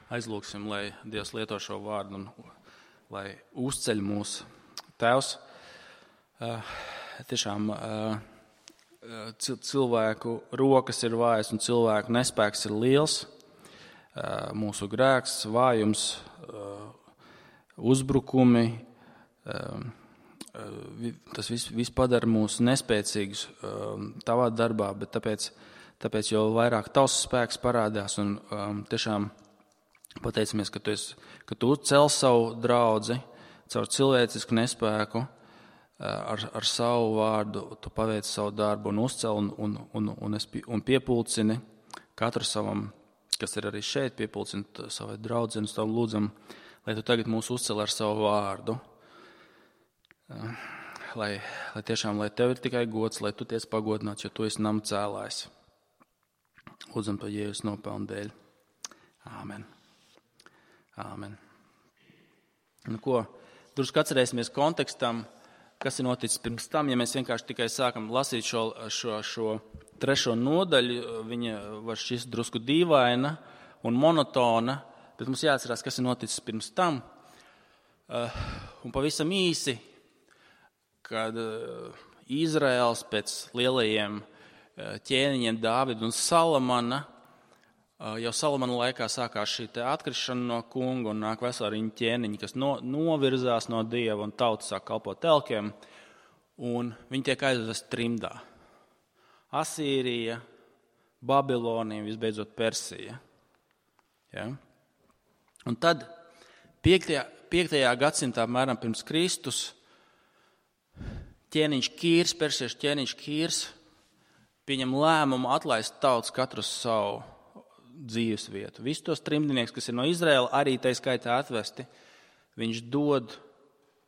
Aizlūksim, lai Dievs lieto šo vārdu un lai uzceļ mūs. Tēvs, tiešām cilvēku rokas ir vājas un cilvēku nespēks ir liels. Mūsu grēks, vājums, uzbrukumi, tas viss padara mūs nespēcīgus tavā darbā, bet tāpēc jau vairāk tavs spēks parādās un tiešām pateicamies, ka tu cel savu draudzi caur cilvēcisku nespēku, ar savu vārdu, tu paveic savu darbu un uzcel un piepulcini katru savam, kas ir arī šeit, piepulcini savai draudzeni, tavu lūdzam, lai tu tagad mūs uzcel ar savu vārdu. Lai tiešām, lai tev ir tikai gods, lai tu tiec pagodināts, jo tu esi nama cēlājs. Lūdzam to Jēzus nopelnu dēļ. Āmen. Āmen. Nu ko, drusku atcerēsimies kontekstam, kas ir noticis pirms tam, ja mēs vienkārši tikai sākam lasīt šo 3. nodaļu, viņa var šķist drusku dīvaina un monotona, bet mums jāatcerās, kas ir noticis pirms tam. Un pavisam īsi, kad Izraels pēc lielajiem ķēniņiem Dāvida un Salamana, jau Salamana laikā sākās šī atkrišana no kunga un nāk vesela riņa ķēniņi, kas novirzās no Dieva un tauta sāk kalpot telkiem, un viņi tiek aizvesti trimdā. Asīrija, Babilonija, visbeidzot Persija. Ja? Un tad 5. gadsimtā, apmēram pirms Kristus, persiešu ķēniņš Kīrs pieņem lēmumu atlaist tautas katru savu dzīves vietu. Visus tos trimdinieks, kas ir no Izraēla, arī tai skaitā atvesti, viņš dod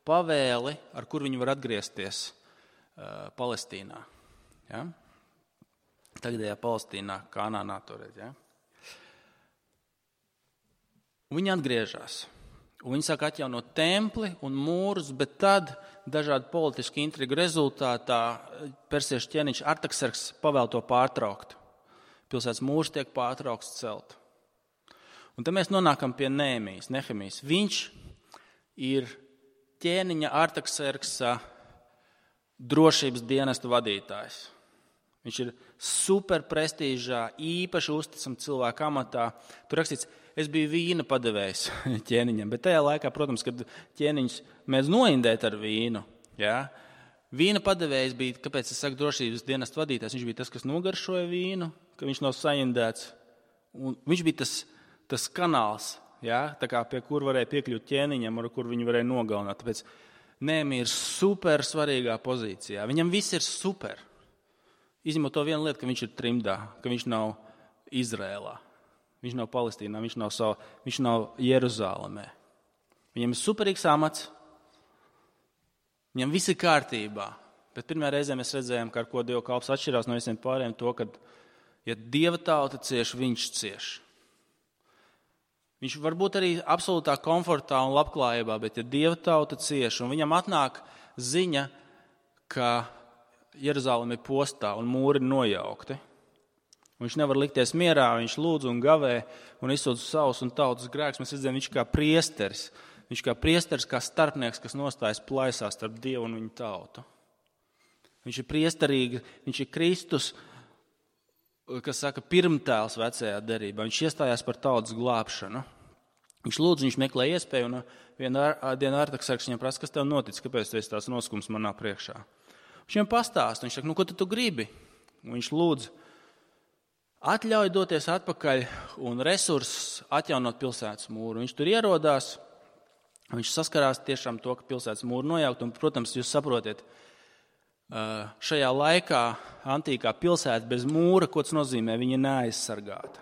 pavēli, ar kur viņi var atgriezties Palestīnā. Ja? Tagadējā Palestīnā, Kanānā toreiz. Ja? Un viņi atgriežas. Un viņi sāk atjaunot templi un mūrus, bet tad dažādu politisku intrigu rezultātā persiešu ķēniņš Artakserks pavēl to pārtraukt. Pilsētas mūrs tiek pārtraukts celt. Un tad mēs nonākam pie Nehemijas. Viņš ir ķēniņa Artakserksa drošības dienesta vadītājs. Viņš ir super prestīžā, īpaši uzticam cilvēku amatā. Tur rakstīts, es biju vīna padevējs ķēniņam, bet tajā laikā, protams, kad ķēniņus mēdz noindēt ar vīnu, ja? Vīna padevējs bija, kāpēc es saku drošības dienesta vadītājs, viņš bija tas, kas nogaršoja vīnu, ka viņš nav saindēts. Un viņš bija tas kanāls, ja? Tā kā pie kur varēja piekļūt ķēniņam, ar kur viņu varēja nogalināt. Tāpēc Nehemija ir super svarīgā pozīcijā. Viņam viss ir super. Izņemot to vienu lietu, ka viņš ir trimdā, ka viņš nav Izrēlā. Viņš nav Palestīnā, viņš nav Jeruzālemē. Viņam ir superīgs amats, viņam viss ir kārtībā. Bet pirmā reizē mēs redzējām, ka ar ko Dieva kalps atšķirās no visiem pārējiem to, ka, ja Dieva tauta cieš, viņš cieš. Viņš var būt arī absolūtā komfortā un labklājībā, bet ja Dieva tauta cieš, un viņam atnāk ziņa, ka Jeruzāleme ir postā un mūri nojaukti, viņš nevar likties mierā, viņš lūdz un gavē un izsūdz savus un tautas grēkus. Mēs redzam, viņš kā priesteris, kā starpnieks, kas nostājas plaisā starp Dievu un viņu tautu. Viņš ir priesterīgi, viņš ir Kristus, kas saka, pirmtēls vecajā derībā. Viņš iestājās par tautas glābšanu. Viņš lūdz, viņš meklē iespēju, un vienā dienā Artaksarks viņam prasa, kas tev notic, kāpēc tu esi tās noskums manā priekšā. Viņš viņam pastāst, viņš saka, ko tu gribi? Un viņš lūdz, atļauj doties atpakaļ un resursus atjaunot pilsētas mūru. Viņš tur ierodās, viņš saskarās tiešām to, ka pilsētas mūru nojaukt, un, protams, jūs saprotiet, šajā laikā antīkā pilsēta bez mūra, ko tas nozīmē, viņa ir neaizsargāta.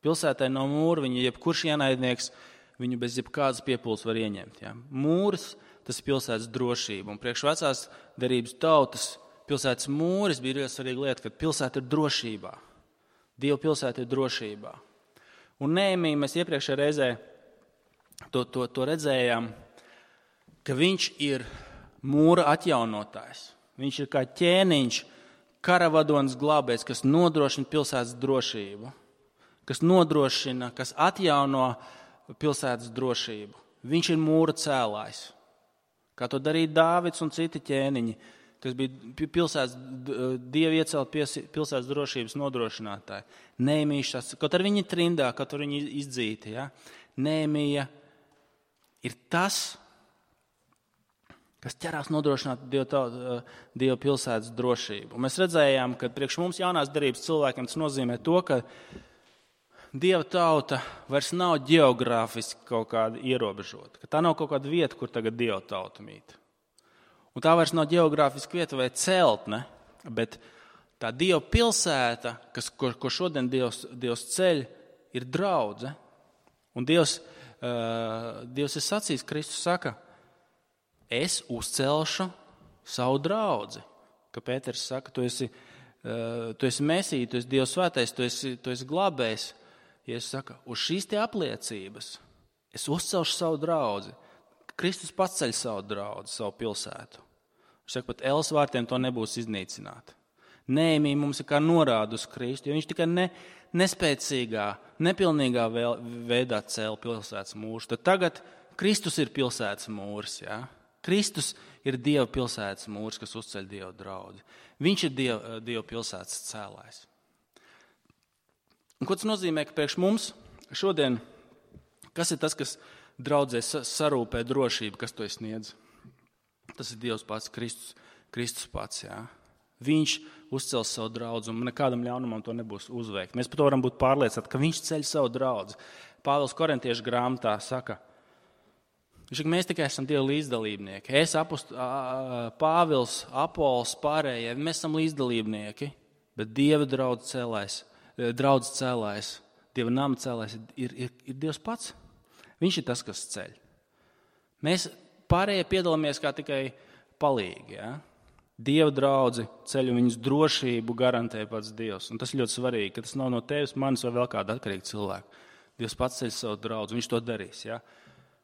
Pilsētai no mūra, viņa jebkurš ienaidnieks, viņu bez jebkādas piepūles var ieņemt. Ja? Mūris, tas ir pilsētas drošība, un priekš vecās derības tautas pilsētas mūris bija ļoti svarīga lieta, ka pilsēta ir drošībā. Dieva pilsēta ir drošībā. Un Nehemija mēs iepriekšējā reizē to redzējām, ka viņš ir mūra atjaunotājs. Viņš ir kā ķēniņš, karavadonis glābējs, kas nodrošina pilsētas drošību. kas nodrošina, kas atjauno pilsētas drošību. Viņš ir mūra cēlājs. Kā to darīja Dāvids un citi ķēniņi, kas bija pilsētas, Dievu iecelt pilsētas drošības nodrošinātāji. Nehemija, kaut ar viņi trindā, kaut ar viņi izdzīti. Ja? Nehemija ir tas, kas ķerās nodrošināt Dieva pilsētas drošību. Un mēs redzējām, ka priekš mums jaunās derības cilvēkiem tas nozīmē to, ka Dieva tauta vairs nav ģeogrāfiski kaut kāda ierobežota. Ka tā nav kaut kāda vieta, kur tagad Dieva tauta mīt. Un tā vairs nav ģeogrāfiska vieta vai celtne, bet tā Dieva pilsēta, ko šodien Dievs ceļ, ir draudze. Un Dievs ir sacījis, Kristus saka, es uzcelšu savu draudzi. Ka Pēters saka, tu esi Mesija, tu esi Dieva svētais, tu esi glābējs. Jēzus saka, uz šīs tie apliecības es uzcelšu savu draudzi. Kristus pats ceļ savu draudzi, savu pilsētu. Viņš saka, pat Elas vārtiem to nebūs iznīcināt. Nehemija mums ir kā norāda uz Kristu, jo viņš tikai nespēcīgā, nepilnīgā veidā cēla pilsētas mūrus. Tad tagad Kristus ir pilsētas mūrs. Ja? Kristus ir Dieva pilsētas mūrs, kas uzceļ Dieva draudzi. Viņš ir Dieva pilsētas cēlājs. Un ko tas nozīmē, ka priekš mums šodien, kas ir tas, kas draudzē sarūpē drošību, kas to sniedz? Tas ir Dievs pats, Kristus pats. Jā. Viņš uzcels savu draudzi, un nekādam ļaunumam to nebūs uzveikt. Mēs par to varam būt pārliecināti, ka viņš ceļ savu draudzi. Pāvils Korintiešu grāmatā saka, mēs tikai esam Dieva līdzdalībnieki. Es, Pāvils, Apols, pārējie, mēs esam līdzdalībnieki, bet Dieva draudz cēlājs, Dieva nama cēlājs ir Dievs pats. Viņš ir tas, kas ceļ. Mēs pārējie piedalāmies kā tikai palīgi. Ja? Dieva draudzi ceļ un viņas drošību garantē pats Dievs. Un tas ir ļoti svarīgi, ka tas nav no tevis, manis vai vēl kāda atkarīga cilvēka. Dievs pats ceļ savu draudzi, viņš to darīs. Ja?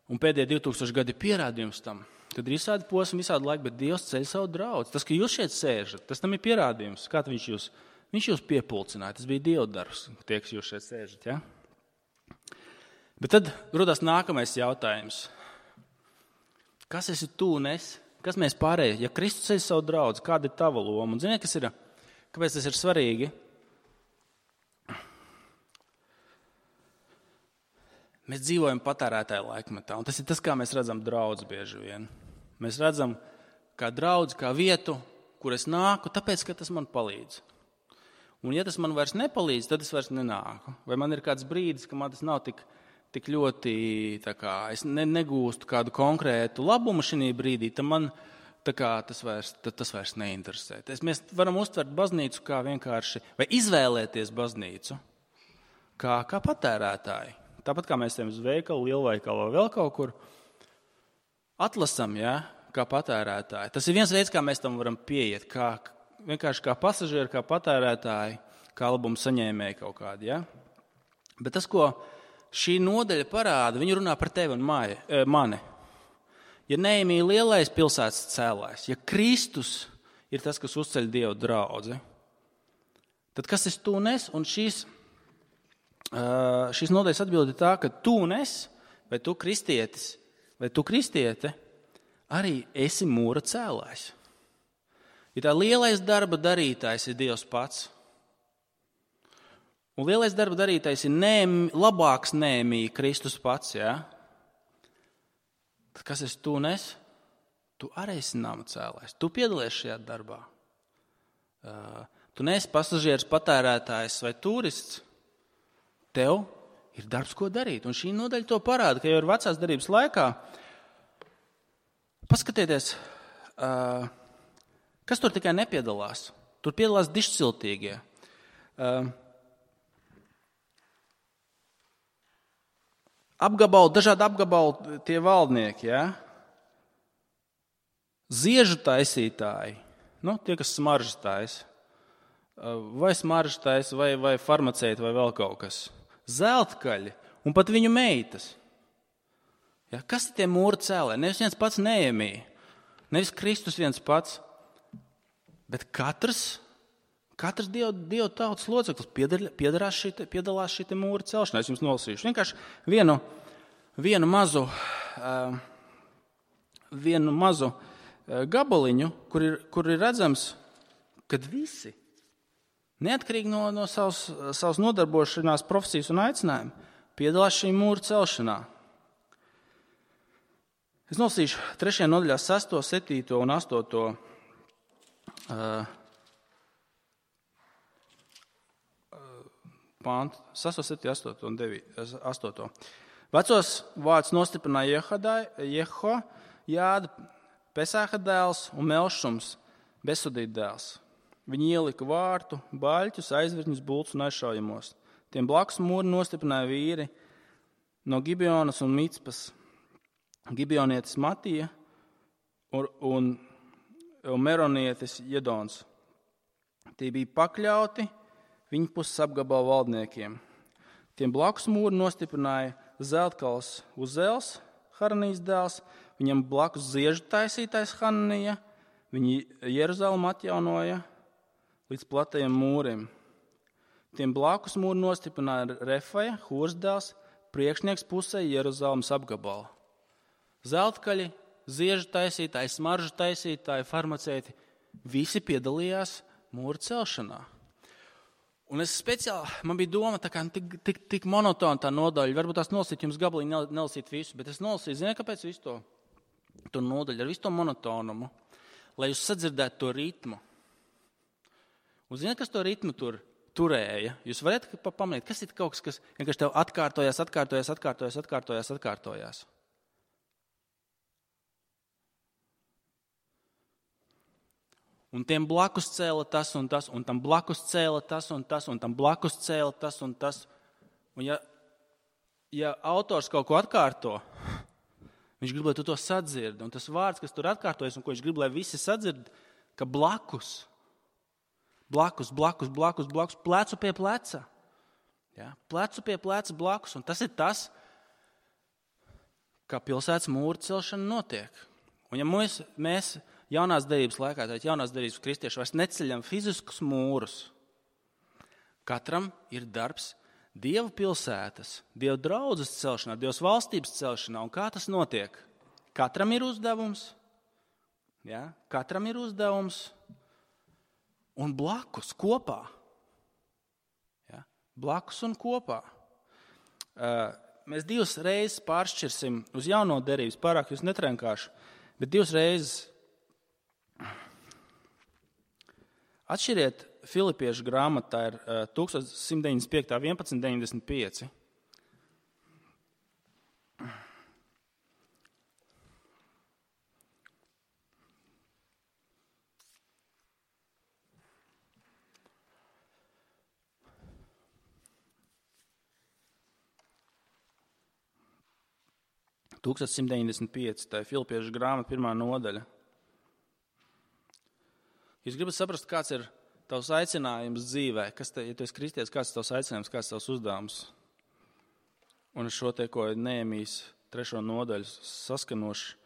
Un pēdējie 2000 gadi ir pierādījums tam, kad ir visādi posmi, visādi laiki, bet Dievs ceļ savu draudzi. Tas, ka jūs šeit sēžat, tas tam ir pierādījums. Kā viņš jūs piepulcināja, tas bija Dieva darbs, tie, kas jūs šeit sēžat. Ja? Bet tad rodās nākamais jautājums. Kas esi tu un es? Kas mēs pārējie? Ja Kristus ceļ savu draudzi, kāda ir tava loma? Un ziniet, kāpēc tas ir svarīgi? Mēs dzīvojam patērētāju laikmetā, un tas ir tas, kā mēs redzam draudzi bieži vien. Mēs redzam kā draudzi, kā vietu, kur es nāku, tāpēc, ka tas man palīdz. Un ja tas man vairs nepalīdz, tad es vairs nenāku. Vai man ir kāds brīdis, ka man tas nav tik ļoti, es negūstu kādu konkrētu labumu šī brīdī, tad man tas vairs neinteresē. Mēs varam uztvert baznīcu kā vienkārši, vai izvēlēties baznīcu kā patērētāji. Tāpat kā mēs ejam uz veikalu, lielveikalu vai vēl kaut kur, atlasam, ja, kā patērētāji. Tas ir viens veids, kā mēs tam varam pieiet, vienkārši kā pasažieri, kā patērētāji, kā labumu saņēmēji kaut kādi. Ja? Bet tas, ko šī nodaļa parāda, viņi runā par tevi un mani. Ja Nehemija lielais pilsētas cēlājs, ja Kristus ir tas, kas uzceļ Dieva draudzi, tad kas esi tu un es? Un šīs nodaļas atbilde ir tā, ka tu un es, vai tu kristietis, vai tu kristiete, arī esi mūra cēlājs. Ja tā lielais darba darītājs ir Dievs pats, un lielais darba darītājs ir labāks Nehemija, Kristus pats, ja? Tad kas esi tu un es? Tu arī esi nama cēlājs. Tu piedalies šajā darbā. Tu neesi pasažieris, patērētājs vai turists. Tev ir darbs, ko darīt. Un šī nodaļa to parāda, ka jau ir vecās darbības laikā. Paskatieties, kas tur tikai nepiedalās. Tur piedalās dišciltīgie. Dažādi apgabali tie valdnieki, ja? Ziežu taisītāji, tie, kas smaržas taisa, vai smaržas taisa, vai farmaceiti, vai vēl kaut kas. Zeltkaļi un pat viņu meitas. Ja, kas ir tie mūra cēlē? Nevis viens pats Nehemija, nevis Kristus viens pats, bet katrs, Katrs Dieva tautas loceklis piedalās šī mūra celšanā. Es jums nolasīšu vienkārši vienu mazu gabaliņu, kur ir redzams, kad visi, neatkarīgi no savas nodarbošanās profesijas un aicinājuma, piedalās šī mūra celšanā. Es nolasīšu 3. nodaļā 6., 7. un 8. Pāntu, 6, 7, 8 un 8. Vecos vārds nostiprināja Jehojāda, Pesāha dēls un Melšums, Besudīta dēls. Viņi ielika vārtu, baļķus, aizvirņus, bultus un aizšaujamos. Tiem blakus mūri nostiprināja vīri no Gibeonas un Micpas, Gibeonietis Matija un Meronietis Jedons. Tie bija pakļauti viņa puses apgabala valdniekiem. Tiem blakus mūri nostiprināja Zeltkals Uzēls, Haranijas dēls, viņam blakus ziežu taisītais Hananija, viņi Jeruzalemu atjaunoja līdz platajiem mūrim. Tiem blakus mūri nostiprināja Refaja, Hūras dēls, priekšnieks pusē Jeruzalemes apgabala. Zeltkaļi, ziežu taisītāji, smaržu taisītāji, farmaceiti, visi piedalījās mūra celšanā. Un es speciāli, man bija doma, tā kā tik monotona tā nodaļa, varbūt tās nolasīt jums gabaliņu, nelasīt visu, bet es nolasīju, ziniet, kāpēc visu to nodaļu, ar visu to monotonumu, lai jūs sadzirdētu to ritmu. Un ziniet, kas to ritmu turēja? Jūs varat pamanīt, kas ir kaut kas vienkārši tev atkārtojās. Un tiem blakus cēla tas un tas, un tam blakus cēla tas un tas, un tam blakus cēla tas un tas. Un ja autors kaut ko atkārto, viņš grib, lai tu to sadzirdi. Un tas vārds, kas tur atkārtojas un ko viņš grib, lai visi sadzird, ka blakus, plecu pie pleca. Ja? Plecu pie pleca blakus. Un tas ir tas, kā pilsētas mūra celšana notiek. Un ja mēs jaunās derības laikā, tātad jaunās derības kristieši vairs neceļam fiziskus mūrus. Katram ir darbs Dieva pilsētas, Dieva draudzes celšanā, Dievas valstības celšanā. Un kā tas notiek? Katram ir uzdevums. Ja? Katram ir uzdevums. Un blakus, kopā. Ja? Blakus un kopā. Mēs 2 reizes pāršķirsim uz jauno derības, pārāk jūs netrenkāšu, bet 2 reizes. Atšķiriet Filipiešu grāmatā ir 1195. 1195. Tā ir Filipiešu grāmata 1. nodaļa. Jūs gribat saprast, kāds ir tavs aicinājums dzīvē, ja tu esi kristietis, kāds ir tavs aicinājums, kāds ir tavs uzdevums. Un es šo te, ko Nehemijas 3. nodaļu saskanoši.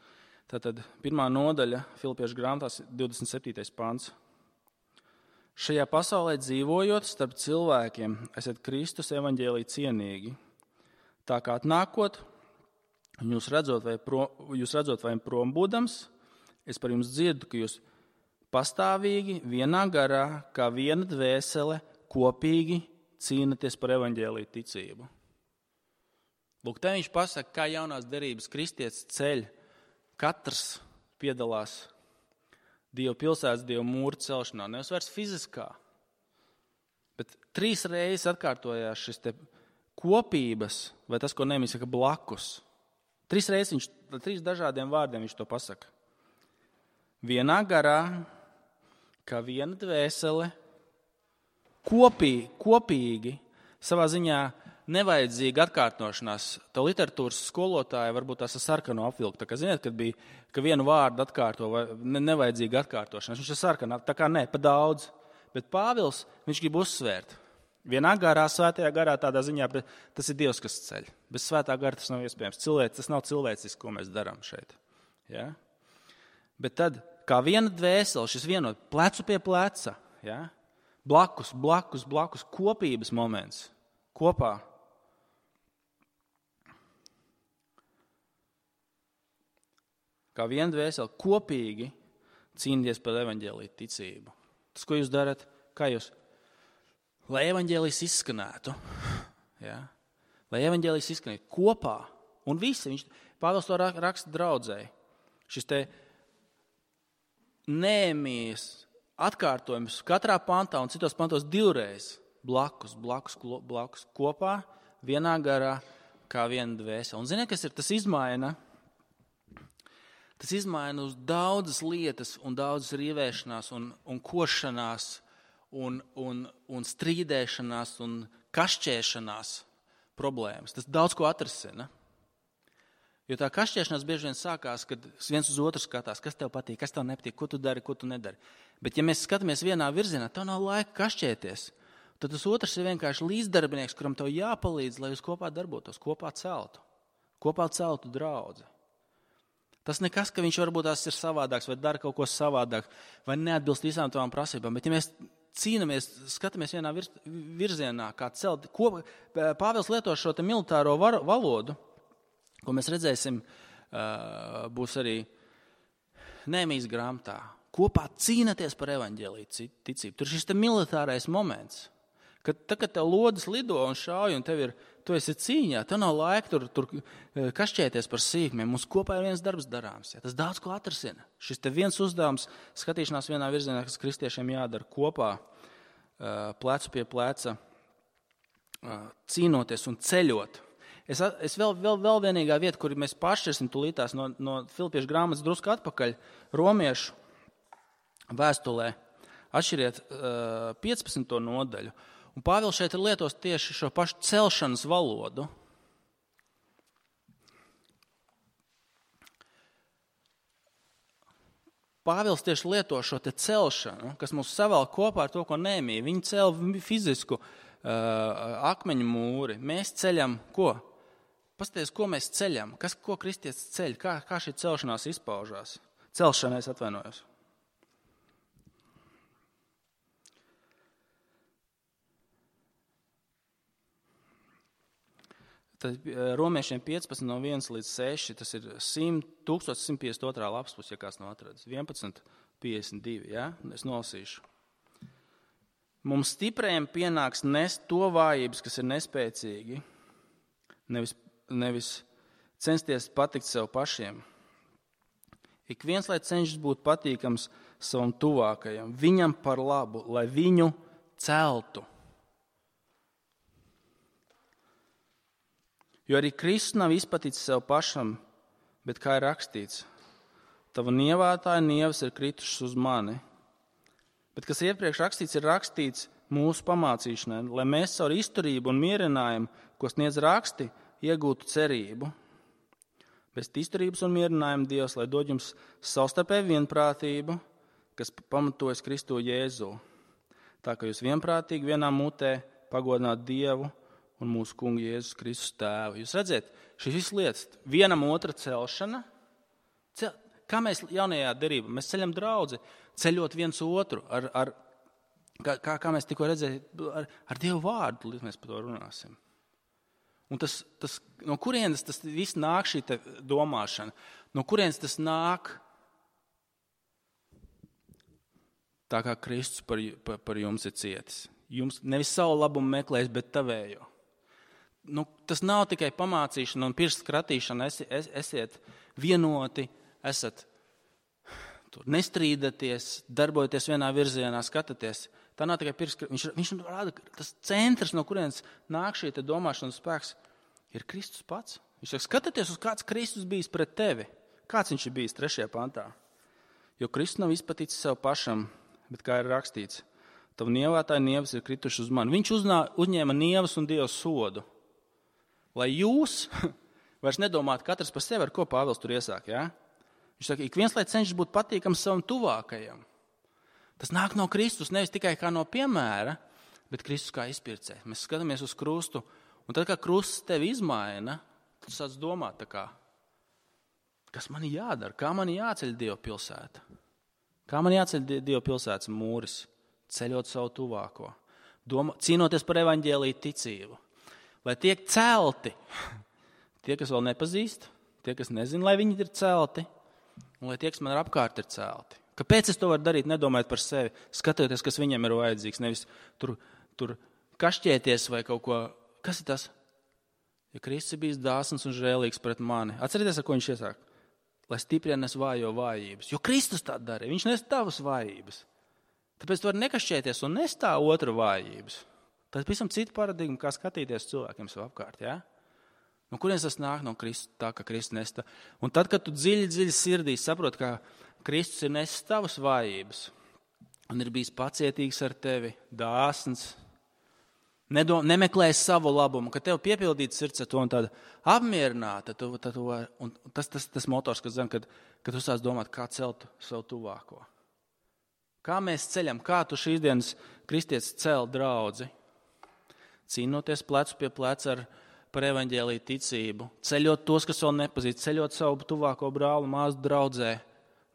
Tātad 1. nodaļa Filipiešu grāmatās 27. pants. Šajā pasaulē dzīvojot starp cilvēkiem, esat Kristus evaņģēlī cienīgi. Tā kā atnākot, jūs redzot vai prom būdams, es par jums dzirdu, ka jūs pastāvīgi, vienā garā, kā viena dvēsele, kopīgi cīnaties par evaņģēliju ticību. Lūk, te viņš pasaka, kā jaunās derības kristietis ceļ. Katrs piedalās Dieva pilsētas, Dieva mūra celšanā. Nevis vairs fiziskā, bet 3 reizes atkārtojās šis te kopības, vai tas, ko Nehemija saka, blakus. 3 reizes 3 dažādiem vārdiem viņš to pasaka. Vienā garā, kā viena dvēsele, kopīgi, savā ziņā nevajadzīga atkārtošanās. Tā literatūras skolotāja varbūt tās ar sarkanu apvilku. Tā kā ziniet, kad bija, ka vienu vārdu atkārto vai nevajadzīga atkārtošanās. Viņš ir sarkanā, tā kā ne, pa daudz. Bet Pāvils, viņš grib uzsvērt. Vienā garā, svētajā garā tādā ziņā, tas ir Dievs, kas ceļ. Bez svētā gara tas nav iespējams. Tas nav cilvēcisks, ko mēs darām šeit. Ja? Bet tad, kā viena dvēsele, šis vienot plecu pie pleca, ja? Blakus kopības moments. Kopā. Kā viena dvēsele kopīgi cīnīties par evaņģēliju ticību. Tas, ko jūs darat, kā jūs, lai evaņģēlijs izskanētu, ja? Lai evaņģēlijs izskanētu kopā, un visi, Pāvils to raksta draudzēji, šis te Nehēmijas atkārtojums katrā pantā un citos pantos divreiz blakus kopā, vienā garā, kā viena dvēsele. Un ziniet, kas ir? Tas izmaina uz daudzas lietas un daudzas rīvēšanās un košanās un strīdēšanās un kašķēšanās problēmas. Tas daudz ko atrisina. Jo tā kašķēšanās bieži vien sākās, kad viens uz otru skatās, kas tev patīk, kas tev nepatīk, ko tu dari, ko tu nedari. Bet ja mēs skatāmies vienā virzienā, tev nav laika kašķēties, tad tas otrs ir vienkārši līdzdarbinieks, kuram tev jāpalīdz, lai jūs kopā darbotos, kopā celtu draudzi. Tas nekas, ka viņš varbūt tās ir savādāks vai dara kaut ko savādāk vai neatbilst visām tavām prasībām, bet ja mēs cīnamies, skatāmies vienā virzienā, kā celt, Pāvils lieto šo te militāro valodu, ko mēs redzēsim, būs arī Nehēmijas grāmatā. Kopā cīnaties par evaņģēliju ticību. Tur šis te militārais moments, kad tev lodes lido un šauj, un tu esi cīņā, tev nav laika tur kašķēties par sīkumiem. Mums kopā ir viens darbs darāms. Ja? Tas daudz ko atrisina. Šis te viens uzdevums, skatīšanās vienā virzienā, kas kristiešiem jādara kopā, plecu pie pleca, cīnoties un ceļot. Es vēl vienīgā vieta, kur mēs pāršķirsim tulītās no Filipiešu grāmatas drusku atpakaļ, Romiešu vēstulē, atšķiriet 15. nodaļu. Un Pāvils šeit ir lietos tieši šo pašu celšanas valodu. Pāvils tieši lieto šo te celšanu, kas mūs savēl kopā ar to, ko Nehēmija. Viņi cēla fizisku akmeņu mūri. Mēs ceļam ko? Paskaties, ko mēs ceļam, ko kristietis ceļ, kā šī celšanās izpaužās. Celšana, es atvainojos. Tad Romiešiem 15 no 1 līdz 6, tas ir 1152. lapspus, ja kāds nav atradis. 1152, ja? Es nolasīšu. Mums stiprējiem pienāks nest to vājības, kas ir nespēcīgi, nevis censties patikt sev pašiem. Ik viens, lai cenšas būt patīkams savam tuvākajam, viņam par labu, lai viņu celtu. Jo arī Kristus nav izpaticis sev pašam, bet kā ir rakstīts, tava nievātāja nievas ir kritušas uz mani. Bet kas iepriekš rakstīts, ir rakstīts mūsu pamācīšanai, lai mēs caur izturību un mierinājumu, ko sniedz raksti, iegūtu cerību. Bez izturības un mierinājuma Dievs, lai dod jums savstarpēju vienprātību, kas pamatojas Kristu Jēzu. Tā kā jūs vienprātīgi vienā mutē pagodināt Dievu un mūsu kungu Jēzus Kristus tēvu. Jūs redzat, šīs visas lietas, vienam otra celšana, kā mēs jaunajā derībā, mēs ceļam draudzi, ceļot viens otru, kā mēs tikko redzējām, ar Dievu vārdu, līdz mēs par to runāsim. Un no kurienes tas viss nāk, šī domāšana? No kurienes tas nāk? Tā kā Kristus par jums ir cietis. Jums nevis savu labumu meklēs, bet tavējo. Tas nav tikai pamācīšana un pirkstu skratīšana. Esiet vienoti, esat tur nestrīdaties, darbojoties vienā virzienā, skatāties. Tā nav tikai pirkstu skratīšana. Viņš rāda, ka tas centrs, no kurienes nāk šī domāšanas spēks, ir Kristus pats. Viņš saka, skatieties, uz kāds Kristus bijis pret tevi. Kāds viņš ir bijis 3. pantā? Jo Kristus nav izpaticis sev pašam, bet kā ir rakstīts, tavu nievātāja nievas ir krituši uz mani. Viņš uzņēma nievas un Dieva sodu. Lai jūs vairs nedomātu katrs par sevi, ar ko Pāvils tur iesāk. Ja? Viņš saka, ik viens, lai cenšas būt patīkams savam tuvākajam. Tas nāk no Kristus, nevis tikai kā no piemēra, bet Kristus kā izpircē. Mēs skatāmies uz krustu, un tad, kā krusts tevi izmaina, tad tu sāc domāt, kas man jādara, kā man jāceļ Dieva pilsēta. Kā man jāceļ Dieva pilsētas mūris ceļot savu tuvāko, cīnoties par evaņģēliju ticību, lai tiek celti tie, kas vēl nepazīst, tie, kas nezina, lai viņi ir celti, un lai tie, kas man ir apkārt, ir celti. Kāpēc es to varu darīt, nedomājot par sevi, skatoties, kas viņam ir vajadzīgs, nevis tur kašķēties vai kaut ko. Kas ir tas? Ja Kristus ir bijis dāsns un žēlīgs pret mani. Atcerieties, ar ko viņš iesāk? Lai stiprina nes vājo vājības. Jo Kristus tā darīja, viņš nes tavas vājības. Tāpēc tu vari nekašķēties un nes tā otra vājības. Tas visam cita paradigma, kā skatīties cilvēkiem sev apkārt, jā? No kurienes tas nāk? No Kristus, tā, ka Kristus nes tā. Un tad, kad tu dziļi sirdī saproti, ka Kristus ir nesis tavas vājības un ir bijis pacietīgs ar tevi, dāsns, nemeklēs savu labumu, ka tev piepildīts sirds ar to un tāda apmierināta, un tas motors, kas zina, kad tu sāc domāt, kā celt savu tuvāko. Kā mēs ceļam, kā tu šīs dienas kristietis cel draudzi, cīnoties plecu pie pleca par evaņģēliju ticību, ceļot tos, kas vēl nepazīst, ceļot savu tuvāko brāli, māsu draudzē,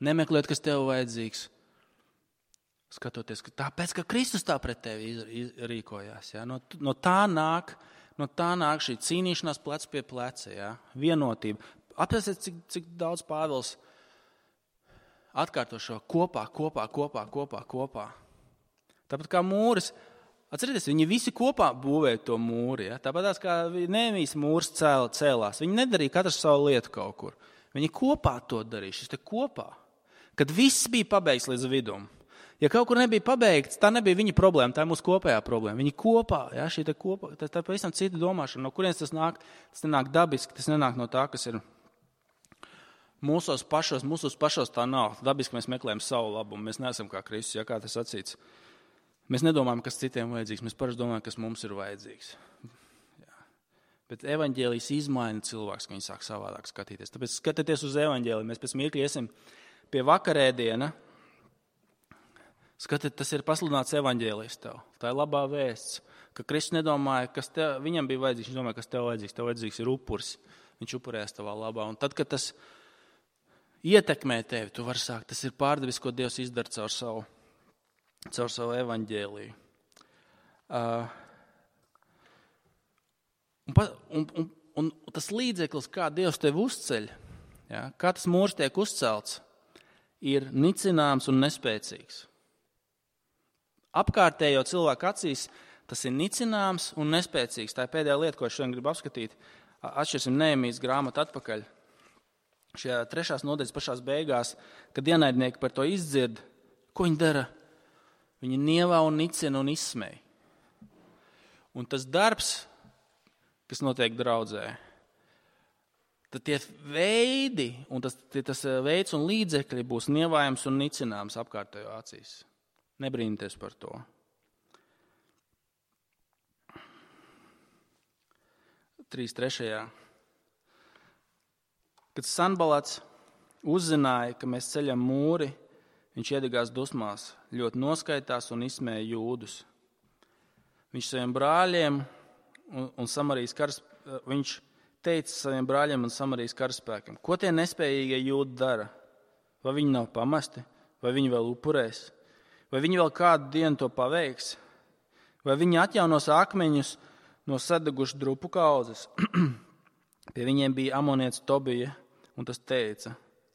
nemeklēt, kas tev vajadzīgs. Skatoties, ka tāpēc, ka Kristus tā pret tevi rīkojās. Ja? No tā nāk šī cīnīšanās plec pie pleca, ja? Vienotība. Apjāsiet, cik daudz Pāvils atkārto šo kopā. Tāpat kā mūris, atcerieties, viņi visi kopā būvēja to mūri. Ja? Tāpat kā Nehemijas mūrs cēlās. Viņi nedarīja katrs savu lietu kaut kur. Viņi kopā to darīja, šis te kopā. Kad viss bija pabeigts līdz vidum. Ja kaut kur nebija pabeigts, tā nebija viņa problēma, tā ir mūsu kopējā problēma. Viņi kopā, ja, šī te kopā, tā ir pavisam cita domāšana. No kurienes tas nāk? Tas nenāk dabiski, tas nenāk no tā, kas ir mūsos pašos tā nav. Dabiski mēs meklējam savu labumu, mēs neesam kā Kristus, ja kā tas sacīts. Mēs nedomājam, kas citiem vajadzīgs, mēs parasti domājam, kas mums ir vajadzīgs. Ja. Bet evaņģēlijs izmaina cilvēks, ka viņi sāk savādāk skatīties. Tāpēc skatieties uz evaņģēliju, mēs pēc mirkļa iesim pie vakarēdiena. Skatiet, tas ir pasludināts evaņģēlijs tev. Tā ir labā vēsts, ka Kristus nedomāja, kas viņam bija vajadzīgs. Viņš domāja, kas tev vajadzīgs. Tev vajadzīgs ir upuris. Viņš upurēs tavā labā. Un tad, kad tas ietekmē tevi, tu vari sākt. Tas ir pārdabis, ko Dievs izdara caur savu evaņģēliju. Un tas līdzeklis, kā Dievs tevi uzceļ, ja, kā tas mūrs tiek uzcelts, ir nicināms un nespēcīgs. Apkārtējo cilvēku acīs tas ir nicināms un nespēcīgs. Tā ir pēdējā lieta, ko es šodien gribu apskatīt. Atšķirsim Nehemijas grāmatu atpakaļ. Šajā 3. nodaļas pašās beigās, kad ienaidnieki par to izdzird, ko viņi dara? Viņi nievā un nicina un izsmej. Un tas darbs, kas notiek draudzē, tad tie veidi un tas veids un līdzekļi būs nievājams un nicināms apkārtējo acīs. Nebrīnieties par to. Trešajā. Kad Sanbalats uzzināja, ka mēs ceļam mūri, viņš iedegās dusmās, ļoti noskaitās un izsmēja jūdus. Viņš saviem brāļiem un Samarijas viņš teica saviem brāļiem un Samarijas karaspēkiem, ko tie nespējīgie jūdi dara? Vai viņi nav pamesti? Vai viņi vēl upurēs? Vai viņi vēl kādu dienu to paveiks? Vai viņi atjaunos akmeņus no sadegušu drupu kaudzes? Pie viņiem bija amonietis Tobija, un tas teica,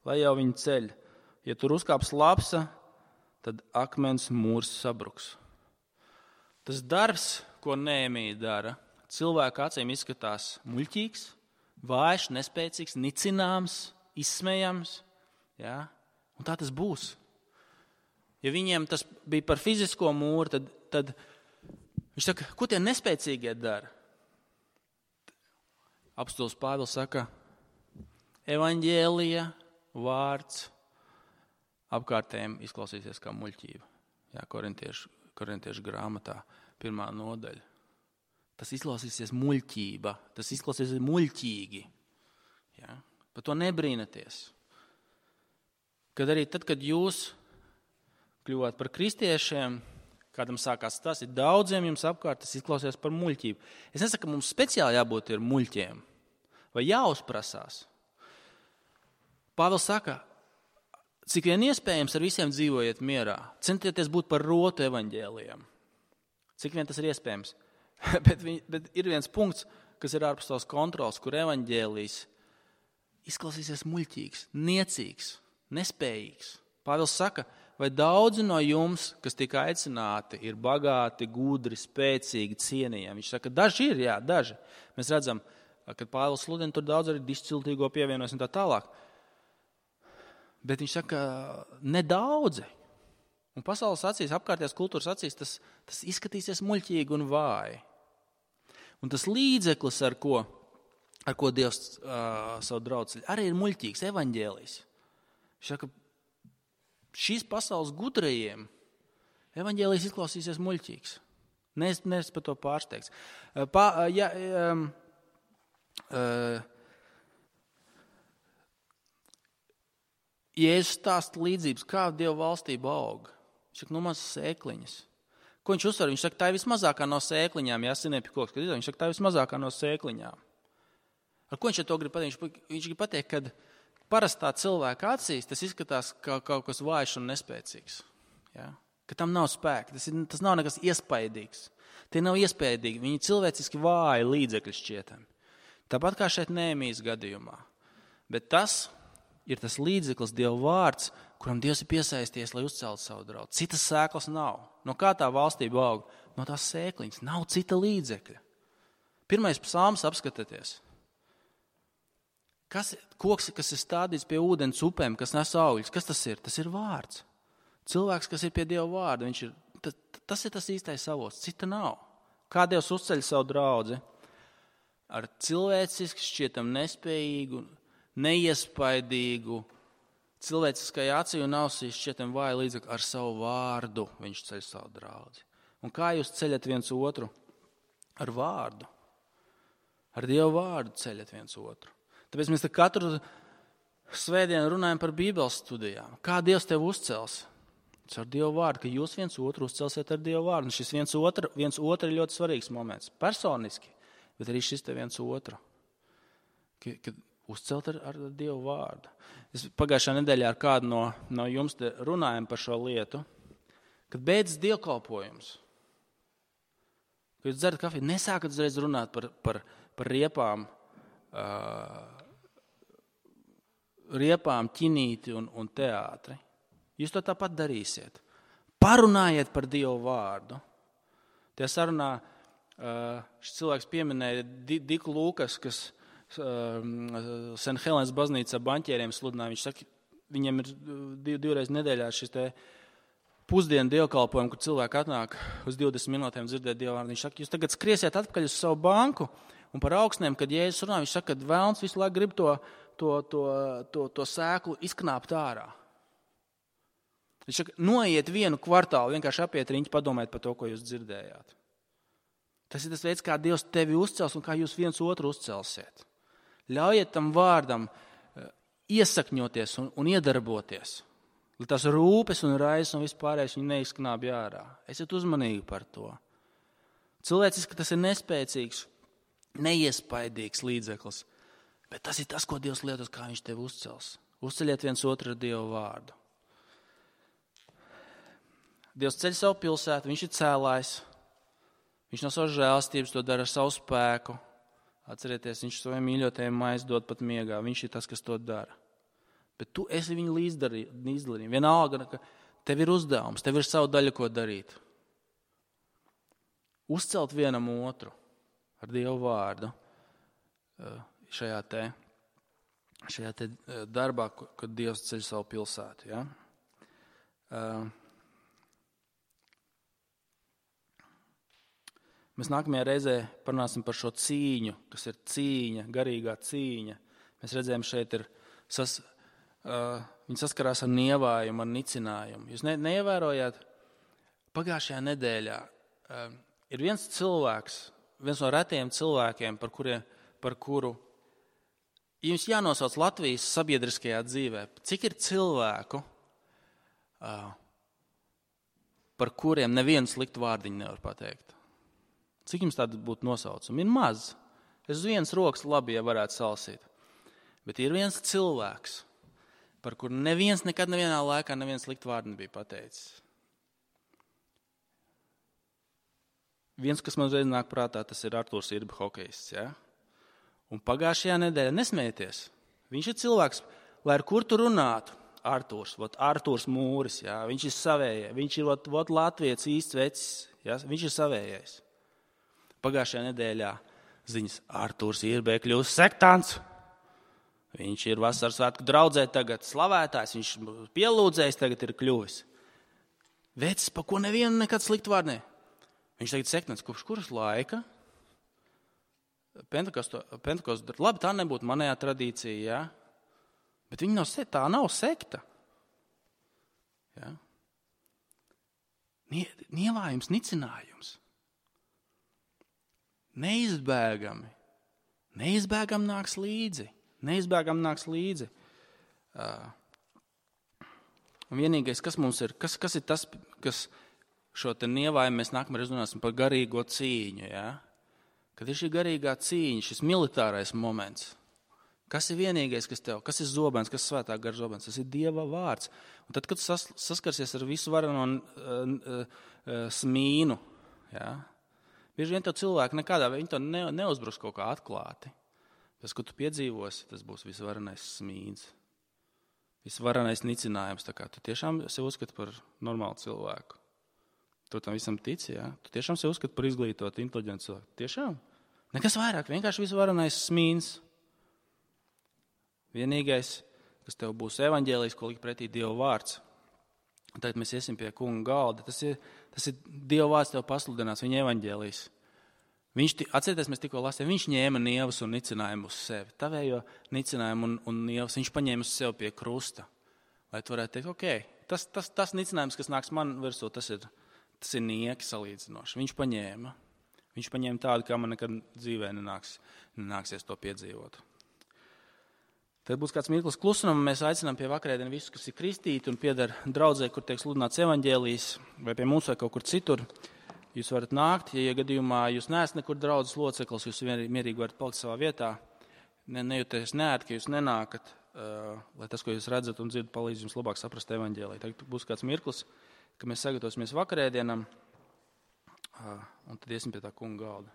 lai jau viņi ceļ. Ja tur uzkāps lapsa, tad akmens mūrs sabruks. Tas darbs, ko Nehemija dara, cilvēku acīm izskatās muļķīgs, vājš, nespēcīgs, nicināms, izsmējams. Ja? Un tā tas būs. Ja viņiem tas bija par fizisko mūru, tad viņš saka, ko tie nespēcīgie dara? Apostols Pāvils saka, evaņģēlija vārds apkārtējiem izklausīsies kā muļķība. Jā, korintiešu grāmatā 1. nodaļa. Tas izklausīsies muļķība, tas izklausīsies muļķīgi. Jā, par to nebrīnaties. Kad arī tad, kad jūs kļuvāt par kristiešiem, kādam sākās tas, ir daudziem jums apkārt, tas izklausies par muļķību. Es nesaku, ka mums speciāli jābūt ir muļķiem, vai jāuzprasās. Pāvils saka, cik vien iespējams ar visiem dzīvojiet mierā. Centieties būt par rotu evaņģēlijam. Cik vien tas ir iespējams. bet ir viens punkts, kas ir ārpus tavas kontrols, kur evaņģēlijs izklausīsies muļķīgs, niecīgs, nespējīgs. Pāvils saka, vai daudzi no jums, kas tika aicināti, ir bagāti, gudri, spēcīgi, cienījami. Viņš saka, daži ir, jā, daži. Mēs redzam, kad Pāvils sludina, tur daudz arī disciltīgo pievienojas un tā tālāk. Bet viņš saka, nedaudzi. Un pasaules acīs, apkārtējās kultūras acīs, tas izskatīsies muļķīgi un vāji. Un tas līdzeklis, ar ko Dievs savu draudz, arī ir muļķīgs, evaņģēlijs. Viņš saka, šīs pasaules gudrajiem evaņģēlijs izklausīsies muļķīgs. Neesmu par to pārsteigts. Jēzus stāsta līdzības, kā Dieva valstība aug. Viņš saka, mazas sēkliņas. Ko viņš uzsver? Viņš saka, tā ir vismazākā no sēkliņām, sinepju koks. Viņš saka, tā ir vismazākā no sēkliņām. Ar ko viņš to grib pateikt? Viņš grib pateikt, ka parastā cilvēka acīs tas izskatās kā kaut kas vājš un nespēcīgs. Ja? Ka tam nav spēka, tas nav nekas iespaidīgs. Tie nav iespaidīgi, viņi cilvēciski vāji līdzekļi šķietami. Tāpat kā šeit Nehēmijas gadījumā. Bet tas ir tas līdzeklis, Dieva vārds, kuram Dievs ir piesaisties, lai uzceltu savu draudu. Citas sēklas nav. No kā tā valstība aug? No tās sēkliņas. Nav cita līdzekļa. Pirmais psalms apskatieties. Koks, kas ir stādīts pie ūdens upēm, kas nes augļus, kas tas ir? Tas ir vārds. Cilvēks, kas ir pie Dieva vārda, tas ir tas īstais avots, cita nav. Kā Dievs uzceļ savu draudzi? Ar cilvēciski šķietam nespējīgu, neiespaidīgu, cilvēciskai acī un ausī šķietam vāju līdzekļu, ar savu vārdu viņš ceļ savu draudzi. Un kā jūs ceļat viens otru? Ar vārdu. Ar Dievu vārdu ceļat viens otru. Tāpēc mēs katru svētdienu runājam par Bībeles studijām. Kā Dievs tevi uzcels? Ar Dievu vārdu, ka jūs viens otru uzcelsiet ar Dievu vārdu. Un šis viens otru ir ļoti svarīgs moments. Personiski, bet arī šis te viens otru. Kad uzcelt ar Dievu vārdu. Es pagājušā nedēļā ar kādu no jums te runājam par šo lietu. Kad beidzas dievkalpojums, kad jūs dzerat kafiju, nesākat uzreiz runāt par riepām, ķinīti un teātri. Jūs to tāpat darīsiet. Parunājiet par Dievu vārdu. Tajā sarunā šis cilvēks pieminēja Diku Lūkas, kas St. Helēnas baznīcā baņķieriem sludināja. Viņš saka, viņiem ir divreiz nedēļā šis te pusdienu dievkalpojumu, kur cilvēki atnāk uz 20 minūtēm dzirdēt Dievu vārdu. Viņš saka, jūs tagad skriesiet atpakaļ uz savu banku un par augstnēm, kad Jēzus runā, viņš saka, ka vēlns visu laiku grib to sēklu izknāpt ārā. Viņš saka, noiet vienu kvartālu, vienkārši apiet riņķi, padomājiet par to, ko jūs dzirdējāt. Tas ir tas veids, kā Dievs tevi uzcels un kā jūs viens otru uzcelsiet. Ļaujiet tam vārdam iesakņoties un iedarboties. Lai tās rūpes un raizes un vispārējais viņi neizknābj ārā. Esiet uzmanīgi par to. Cilvēciski tas ir nespēcīgs, neiespaidīgs līdzeklis, bet tas ir tas, ko Dievs lietos, kā viņš tevi uzcels. Uzceļiet viens otru ar Dievu vārdu. Dievs ceļ savu pilsētu, viņš ir cēlājs, viņš no savas žēlastības to dara ar savu spēku. Atcerieties, viņš saviem mīļotajiem maizi dod pat miegā, viņš ir tas, kas to dara. Bet tu esi viņu līdzdarījumi. Vienalga, ka tev ir uzdevums, tev ir savu daļu, ko darīt. Uzcelt vienam otru ar Dievu vārdu šajā te darbā, kad Dievs ceļ savu pilsētu. Ja? Mēs nākamajā reizē parunāsim par šo cīņu, kas ir cīņa, garīgā cīņa. Mēs redzējām, šeit ir viņi saskarās ar nievājumu, ar nicinājumu. Jūs neievērojāt? Pagājušajā nedēļā ir viens cilvēks, viens no retiem cilvēkiem, par kuru jums jānosauc Latvijas sabiedriskajā dzīvē. Cik ir cilvēku, par kuriem nevienu sliktu vārdiņu nevar pateikt? Cik jums tāda būtu nosaucama? Ir maz. Es uz vienas rokas labi, ja varētu salsīt. Bet ir viens cilvēks, par kuru neviens nekad nevienā laikā neviens sliktu vārdu nebija pateicis. Viens, kas man uzreiz nāk prātā, tas ir Artūrs Irba hokejists. Ja? Un pagājušajā nedēļā nesmējieties. Viņš ir cilvēks, lai ar kur tu runātu. Artūrs Mūris, ja? Viņš ir savējais. Viņš ir latvietis īsts vecis. Ja? Viņš ir savējais. Pagājušajā nedēļā ziņas Artūrs Irba kļūst sektāns. Viņš ir vasaras svētku draudzē tagad slavētājs. Viņš pielūdzējs tagad ir kļuvis. Vecis, pa ko nevienu nekad sliktu vārdu ne. Viņš tagad sektāns, kopš kuras laika? Pentekostu, labi, tā nebūtu manējā tradīcija, ja? Bet viņa tā nav sekta. Ja? Nievājums, nicinājums. Neizbēgami nāks līdzi. Un vienīgais, kas mums ir, kas ir tas, kas šo te nievājumu mēs nākamreiz runāsim par garīgo cīņu, ja? Kad ir šī garīgā cīņa, šis militārais moments, kas ir vienīgais, kas ir zobens, kas svētā gara zobens, tas ir Dieva vārds. Un tad, kad saskarsies ar visu varano smīnu, ja? Bieži vien to cilvēku nekādā veidā, viņi to neuzbruks kaut kā atklāti. Tas, ko tu piedzīvosi, tas būs visvarenais smīns, visvarenais nicinājums, tā kā tu tiešām sev uzskati par normālu cilvēku. Tu tam visam tici, ja? Tu tiešām sev uzskati par izglītotu, inteliģentu cilvēku. Tiešām? Nekas vairāk, vienkārši visvarenais smīns. Vienīgais, kas tev būs evaņģēlijs, ko likt pretī Dieva vārds. Un tagad mēs iesim pie kunga galda. Tas ir Dieva vārds tev pasludinās, viņa evaņģēlijs. Atcerieties, mēs tikko lasījām, viņš ņēma nievas un nicinājumu uz sevi. Tavējo nicinājumu un nievas viņš paņēma uz sevi pie krusta. Lai tu varētu teikt, tas nicinājums, kas nāks man virsū, tas ir nieki salīdzinoši. Viņš paņēma tādu, kā man nekad dzīvē nenāksies to piedzīvot. Tad būs kāds mirklis klusuma, un mēs aicinām pie vakarēdienu visus, kas ir kristīti un pieder draudzē, kur tiek sludināts evaņģēlijs, vai pie mums vai kaut kur citur. Jūs varat nākt, ja gadījumā jūs neesat nekur draudzes loceklis, jūs mierīgi varat palikt savā vietā. Nejūties neērti, ka jūs nenākat, lai tas, ko jūs redzat un dzirdat, palīdz jums labāk saprast evaņģēliju. Tagad būs kāds mirklis, ka mēs sagatavosimies vakarēdienam, un tad iesim pie tā kunga galda.